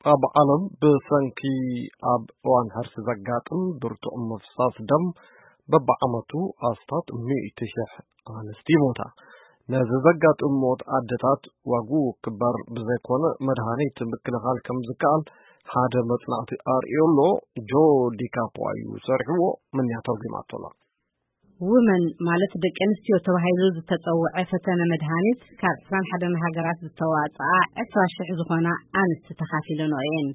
ኣብ ዓለም ብሰንኪ ኣብ እዋን ሕርሲ ዘጋጥም ብርቱዕ ምፍሳስ ደም በብዓመቱ ኣስታት ሚእቲ ሽሕ ኣንስቲ ይሞታ። ነዚ ዘጋጥም ሞት ኣደታት ዋግኡ ክበር ብዘይኮነ መድሃኒት ምክልኻል ከም ዝከኣል ሓደ መጽናዕቲ ኣርእዮ ኣሎ። ጆ ዲካፖ እዩ ሰሪሕዎ። ምንያ ተርጉማቶ ኣሎ። ውመን ማለት ደቂ ኣንስትዮ ተባሂሉ ዝተጸውዐ ፈተነ መድሃኒት ካብ ዕስራን ሓደን ሃገራት ዝተዋጽኣ ዕስራ ሽሕ ዝኾና ኣንስቲ ተኻፊለንኦ እየን።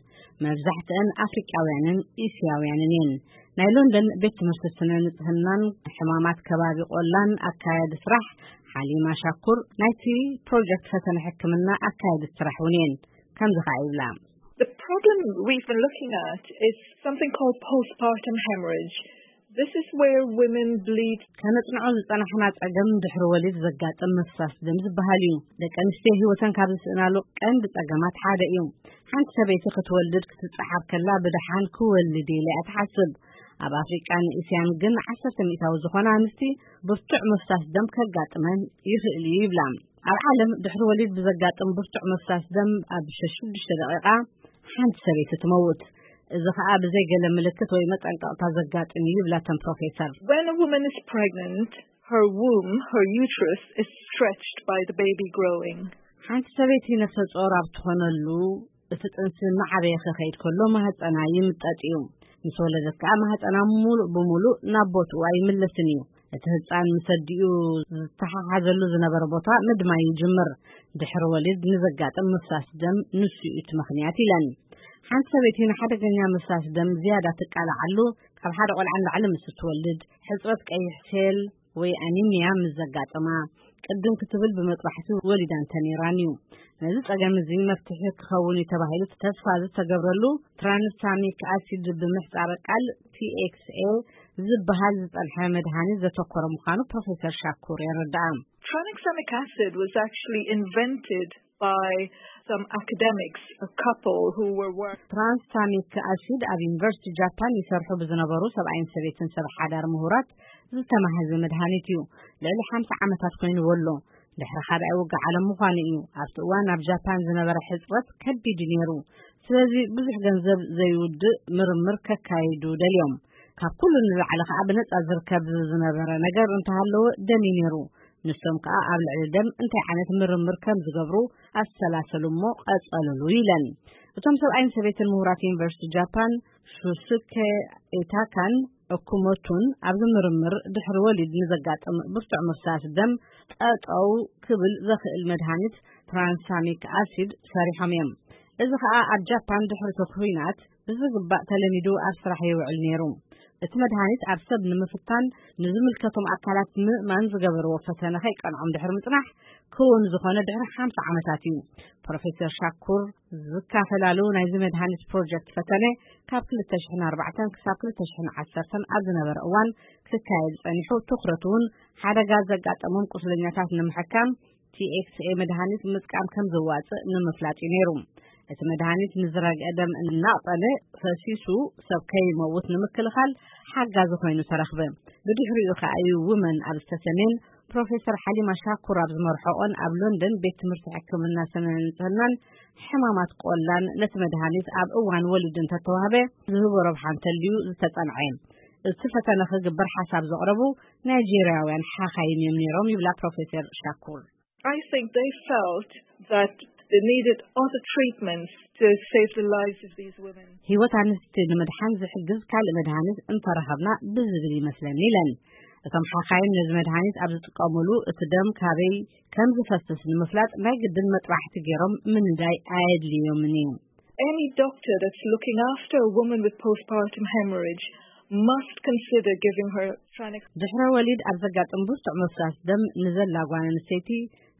መብዛሕትአን ኣፍሪቃውያንን እስያውያንን እየን። ናይ ሎንደን ቤት ትምህርቲ ስነ ንጽህናን ሕማማት ከባቢ ቆላን ኣካያዲ ስራሕ ሓሊማ ሻኩር ናይቲ ፕሮጀክት ፈተነ ሕክምና ኣካያዲ ስራሕ እውን እየን። ከምዚ ኸዓ ይብላ። The problem we've been looking at is something called postpartum hemorrhage. This is where women bleed. ከነጽንዖ ዝጸናሕና ጸገም ድሕሪ ወሊድ ዘጋጥም ምፍሳስ ደም ዝበሃል እዩ። ደቂ ኣንስትዮ ህይወተን ካብ ዝስእናሉ ቀንዲ ጸገማት ሓደ እዩ። ሓንቲ ሰበይቲ ክትወልድ ክትጸሓር ከላ ብደሓን ክወልድ ኢለ እያ ትሓስብ። ኣብ ኣፍሪቃን እስያን ግን ዓሰርተ ሚእታዊ ዝኾና ኣንስቲ ብርቱዕ ምፍሳስ ደም ከጋጥመን ይኽእል እዩ ይብላ። ኣብ ዓለም ድሕሪ ወሊድ ብዘጋጥም ብርቱዕ ምፍሳስ ደም ኣብ ሸዱሽተ ደቂቃ ሓንቲ ሰበይቲ ትመውት። እዚ ኸኣ ብዘይ ገለ ምልክት ወይ መጠንቀቕታ ዘጋጥም እዩ ይብላ እተን ፕሮፌሰር። When a woman is pregnant, her womb, her uterus is stretched by the baby growing. ሓንቲ ሰበይቲ ነፍሰ ጾር ኣብ ትኾነሉ እቲ ጥንሲ እናዓበየ ክኸይድ ከሎ ማህፀና ይምጠጥ እዩ። ምስ ወለደት ከኣ ማህፀና ሙሉእ ብሙሉእ ናብ ቦትኡ ኣይምለስን እዩ። እቲ ህፃን ምስ ኣዲኡ ዝተሓሓዘሉ ዝነበረ ቦታ ምድማይ ይጅምር። ድሕሪ ወሊድ ንዘጋጥም ምፍሳስ ደም ንሱ እዩ እቲ ምኽንያት ኢለን። ሓንቲ ሰበይቲ ንሓደገኛ ምፍሳስ ደም ዝያዳ ትቃልዓሉ ካብ ሓደ ቆልዓ ንላዕሊ ምስ እትወልድ፣ ሕፅረት ቀይሕ ሴል ወይ ኣኒሚያ ምስ ዘጋጥማ፣ ቅድም ክትብል ብመጥባሕቲ ወሊዳ እንተነይራን እዩ። ነዚ ጸገም እዚ መፍትሒ ክኸውን እዩ ተባሂሉ ተስፋ ዝተገብረሉ ትራንሳሚክ ኣሲድ ብምሕጻረ ቃል ቲ ኤክስ ኤ ዝበሃል ዝጸንሐ መድሃኒት ዘተኮረ ምዃኑ ፕሮፌሰር ሻኩር የረድኣ። Tranexamic acid was actually invented by some academics, a couple who were work. ትራንስታሚክ ኣሲድ ኣብ ዩኒቨርሲቲ ጃፓን ይሰርሑ ብዝነበሩ ሰብኣይን ሰበይትን ሰብ ሓዳር ምሁራት ዝተማህዘ መድሃኒት እዩ። ልዕሊ ሓምሳ ዓመታት ኮይንዎ ኣሎ። ድሕሪ ካልኣይ ውግእ ዓለም ምዃኑ እዩ። ኣብቲ እዋን ኣብ ጃፓን ዝነበረ ሕጽረት ከቢድ እዩ ነይሩ። ስለዚ ብዙሕ ገንዘብ ዘይውድእ ምርምር ከካይዱ ደልዮም። ካብ ኩሉ ንላዕሊ ከኣ ብነጻ ዝርከብ ዝነበረ ነገር እንተሃለወ ደም እዩ ነይሩ። ንሶም ከኣ ኣብ ልዕሊ ደም እንታይ ዓይነት ምርምር ከም ዝገብሩ ኣሰላሰሉ እሞ ቀጸሉሉ ኢለን። እቶም ሰብኣይን ሰበይትን ምሁራት ዩኒቨርሲቲ ጃፓን ሹስከ ኤታካን ኦኩሞቱን ኣብዚ ምርምር ድሕሪ ወሊድ ንዘጋጥም ብርቱዕ ምፍሳስ ደም ጠጠው ክብል ዘኽእል መድሃኒት ትራንሳሚክ ኣሲድ ሰሪሖም እዮም። እዚ ከኣ ኣብ ጃፓን ድሕሪ እቲ ኲናት ብዝግባእ ተለሚዱ ኣብ ስራሕ ይውዕል ነይሩ። እቲ መድሃኒት ኣብ ሰብ ንምፍታን ንዝምልከቶም ኣካላት ምእማን ዝገበርዎ ፈተነ ከይቀንዖም ድሕሪ ምጽናሕ ክውን ዝኾነ ድሕሪ ሓምሳ ዓመታት እዩ። ፕሮፌሰር ሻኩር ዝካፈላሉ ናይዚ መድሃኒት ፕሮጀክት ፈተነ ካብ ክልተ ሽሕን ኣርባዕተን ክሳብ ክልተ ሽሕን ዓሰርተን ኣብ ዝነበረ እዋን ክካየድ ጸኒሑ፣ ትኹረት እውን ሓደጋ ዘጋጠሞም ቁስለኛታት ንምሕካም ቲ ኤክስ ኤ መድሃኒት ምጥቃም ከም ዘዋጽእ ንምፍላጥ እዩ ነይሩ። እቲ መድሃኒት ንዝረግአ ደም እናቕጸለ ፈሲሱ ሰብ ከይመውት ንምክልኻል ሓጋዚ ኮይኑ ተረኽበ። ብድሕሪኡ ከኣ እዩ ውመን ኣብ ዝተሰሜን ፕሮፌሰር ሓሊማ ሻኩር ኣብ ዝመርሖኦን ኣብ ሎንደን ቤት ትምህርቲ ሕክምና ስነ ንጽህናን ሕማማት ቆላን ነቲ መድሃኒት ኣብ እዋን ወሊድ እንተተዋህበ ዝህቦ ረብሓ እንተልዩ ዝተጸንዐ። እቲ ፈተነ ክግበር ሓሳብ ዘቕረቡ ናይጄርያውያን ሓኻይም እዮም ነይሮም ይብላ ፕሮፌሰር ሻኩር። I think they felt that they needed other treatments to save the lives of these women. ህይወት ኣንስቲ ንምድሓን ዝሕግዝ ካልእ መድሃኒት እንተረኸብና ብዝብል ይመስለኒ ኢለን። እቶም ሓኻይም ነዚ መድሃኒት ኣብ ዝጥቀሙሉ እቲ ደም ካበይ ከም ዝፈስስ ንምፍላጥ ናይ ግድን መጥባሕቲ ገይሮም ምንዳይ ኣየድልዮምን እዩ። Any doctor that's looking after a woman with postpartum hemorrhage must consider giving her Tranex. ድሕረ ወሊድ ኣብ ዘጋጥም ብርቱዕ ምፍሳስ ደም ንዘላ ጓል ኣንስተይቲ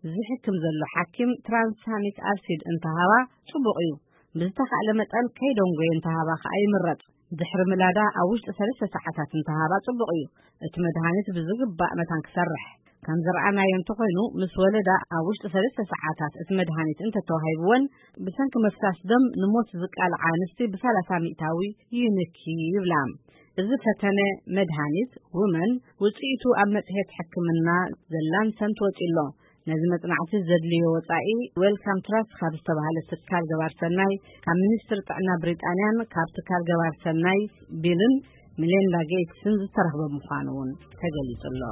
ዝሕክም ዘሎ ሓኪም ትራንሳሚክ ኣሲድ እንተሃባ ጽቡቕ እዩ። ብዝተኻእለ መጠን ከይደንጎየ እንተሃባ ከኣ ይምረጽ። ድሕሪ ምላዳ ኣብ ውሽጢ ሰለስተ ሰዓታት እንተሃባ ጽቡቕ እዩ። እቲ መድሃኒት ብዝግባእ መታን ክሰርሕ። ከም ዝረኣናዮ እንተኾይኑ፣ ምስ ወለዳ ኣብ ውሽጢ ሰለስተ ሰዓታት እቲ መድሃኒት እንተተዋሂብወን፣ ብሰንኪ ምፍሳስ ደም ንሞት ዝቃልዓ ኣንስቲ ብሰላሳ ሚእታዊ ይንኪ ይብላ። እዚ ፈተነ መድሃኒት ውመን ውጽኢቱ ኣብ መጽሔት ሕክምና ዘላንሰንት ወጺኡ ኣሎ። ነዚ መጽናዕቲ ዘድልዮ ወጻኢ ዌልካም ትራስት ካብ ዝተባህለ ትካል ገባር ሰናይ፣ ካብ ሚኒስትሪ ጥዕና ብሪጣንያን ካብ ትካል ገባር ሰናይ ቢልን ሚሌንዳ ጌትስን ዝተረኽበ ምዃኑ እውን ተገሊጹ ኣሎ።